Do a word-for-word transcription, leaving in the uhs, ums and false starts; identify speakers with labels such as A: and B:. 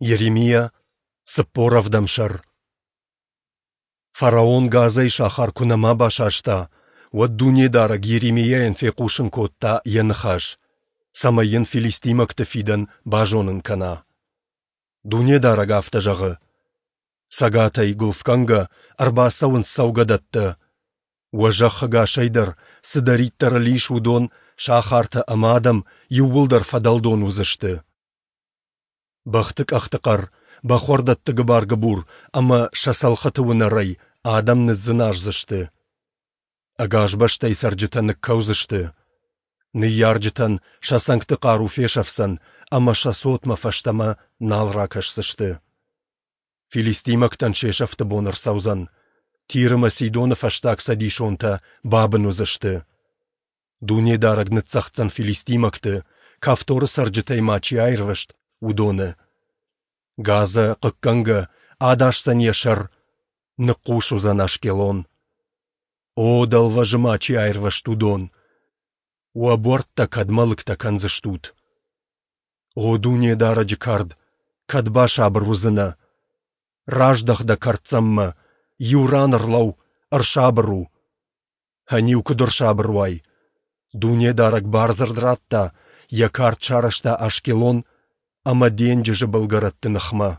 A: Йеремиа, цыппор ӕвдӕм сӕр. Фараон Газӕйы сахар куы нӕма басаста, уӕд Дунедарӕг Йеремиайӕн фехъусын кодта Йӕ ныхас, цӕмӕй йын филистимӕгты фидӕн базонын кӕна. Дунедарӕг афтӕ зӕгъы: Цӕгатӕй, гуылфгӕнгӕ, ӕрбацӕуынц цӕугӕдӕттӕ. Уӕ зӕхх ӕгасӕй дӕр, цыдӕриддӕр ыл ис, уыдон, сахартӕ ӕмӕ адӕм, иууылдӕр фӕдӕлдон уыдзысты. Бӕхты къӕхты хъӕр, бӕхуӕрдӕтты гыбар-гыбур ӕмӕ сӕ цӕлхыты уынӕрӕй адӕм ныдздзыназдзысты. Ӕгас бӕстӕйы цӕрджытӕ ныккӕудзысты. Ныййарджытӕн сӕ цӕнгты хъару фесӕфдзӕн ӕмӕ сӕ цотмӕ фӕстӕмӕ нал ракӕсдзысты. Филистимӕгтӕн се сӕфты бон ӕрцӕудзӕн. Тир ӕмӕ Сидоны фӕстаг цӕдисонтӕ бабын уыдзысты. Дунедарӕг ныццӕгъддзӕн филистимӕгты, Кавторы цӕрджытӕй ма чи аирвӕзт, уыдоны. Газӕ, хъыггӕнгӕ, адасдзӕн йӕ сӕр, ныхъхъус уыдзӕн Ашкелон. О, дӕлвӕзы ма чи аирвӕзт, уыдон! Уӕ буӕрттӕ кӕдмӕ лыгтӕ кӕндзыстут? О Дунедарӕджы кард, кӕд басабыр уыдзынӕ? Раздӕх дӕ кӕрддзӕммӕ, иу ран ӕрлӕуу, ӕрсабыр у. Ӕниу куыд ӕрсабыр уай? Дунедарӕг бардзырд радта, йӕ кард сарӕзта Ашкелон ӕмӕ денджызы былгӕрӕтты ныхмӕ.